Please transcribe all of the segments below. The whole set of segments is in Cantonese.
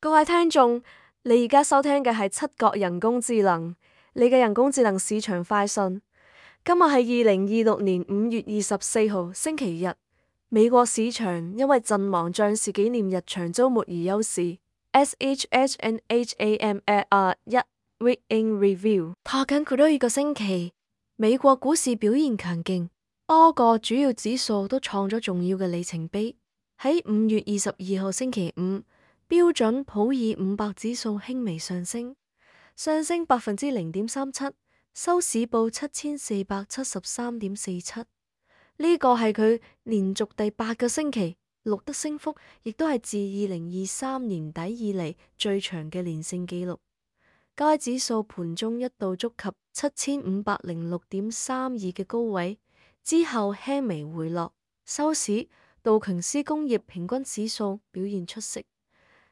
各位聽眾，你而家收聽嘅係七國人工智能，你嘅人工智能市場快訊。今日係2026年5月24號星期日，美國市場因為陣亡將士紀念日長週末而休市。SHNHAMR1 Week in Review 拖緊佢多一個星期，美國股市表現強勁，多個主要指數都創咗重要嘅里程碑。喺5月22號星期五，標準普爾500指數輕微上升0.37%，收市報7473.47。呢個係佢連續第8個星期錄得升幅，亦都係自2023年底以嚟最長嘅連勝紀錄。該指數盤中一度觸及7506.32嘅高位，之後輕微回落，收市道瓊斯工業平均指數表現出色，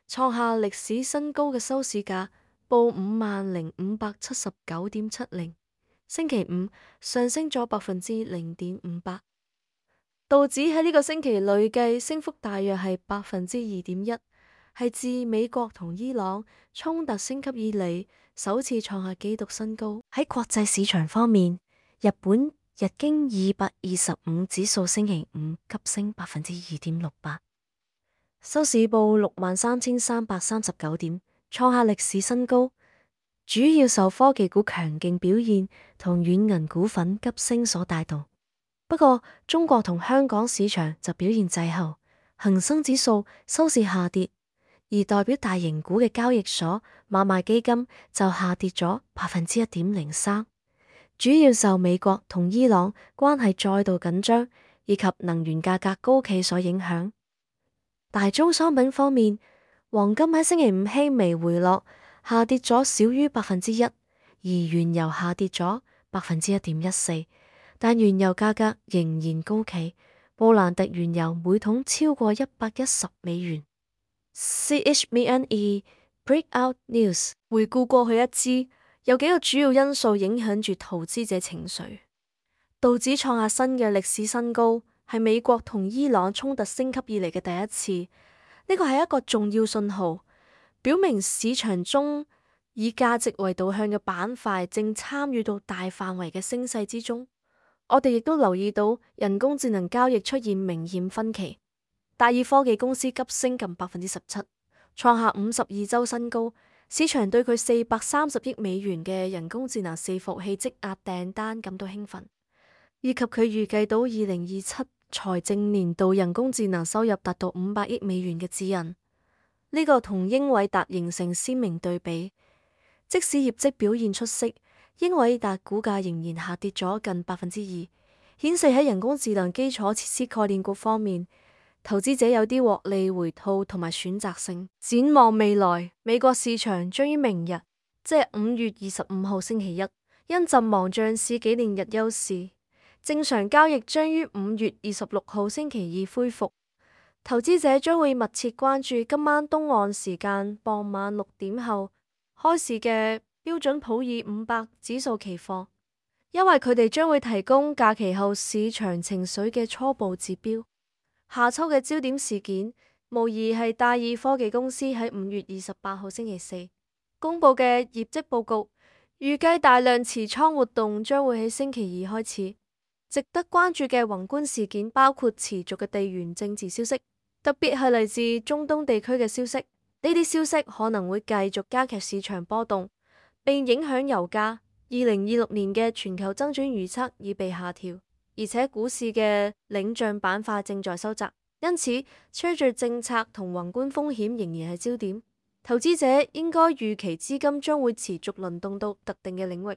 創下歷史新高嘅收市價，報50,579.70。星期五上升咗0.58%。道指喺呢個星期累計升幅大約係2.1%，係自美國同伊朗衝突升級以嚟首次創下紀錄新高。喺國際市場方面，日本日經225指數星期五急升2.68%，收市報63,339點，創下歷史新高。主要受科技股強勁表現同軟銀股份急升所帶動。不過，中國同香港市場就表現滯後，恒生指數收市下跌，而代表大型股嘅交易所買賣基金就下跌咗1.03%，主要受美國同伊朗關係再度緊張以及能源價格高企所影響。大宗商品方面，黃金喺星期五輕微回落，下跌咗少於1%，而原油下跌咗1.14%，但原油價格仍然高企，布蘭特原油每桶超過$110。CHME Breakout News 回顧過去一支，有幾個主要因素影響住投資者情緒。道指創下新嘅歷史新高，係美國同伊朗衝突升級以嚟嘅第一次。呢個係一個重要信號，表明市場中以價值為導向嘅板塊正參與到大範圍嘅升勢之中。我哋亦都留意到人工智能交易出現明顯分歧，戴爾科技公司急升近17%，創下52周新高。市場對佢430億美元嘅人工智能伺服器積壓訂單感到興奮，以及佢預計到2027財政年度人工智能收入達到500億美元嘅指引。呢個同英偉達形成鮮明對比，即使業績表現出色，英偉達股價仍然下跌咗近2%，顯示喺人工智能基礎設施概念股方面，投資者有啲獲利回吐同埋選擇性。展望未來，美國市場將於明日，即係5月25號星期一，因陣亡將士紀念日休市，正常交易將於5月26號星期二恢復。投資者將會密切關注今晚東岸時間傍晚6點後開市嘅標準普爾500指數期貨，因為佢哋將會提供假期後市場情緒嘅初步指標。下週嘅焦點事件，無疑係戴爾科技公司喺5月28號星期四公佈嘅業績報告，預計大量持倉活動將會喺星期二開始。值得關注嘅宏觀事件包括持續嘅地緣政治消息，特別係嚟自中東地區嘅消息。呢啲消息可能會繼續加劇市場波動，並影響油價。2026年嘅全球增長預測已被下調，而且股市嘅領漲板塊正在收窄，因此隨住政策同宏觀風險仍然係焦點，投資者應該預期資金將會持續輪動到特定嘅領域。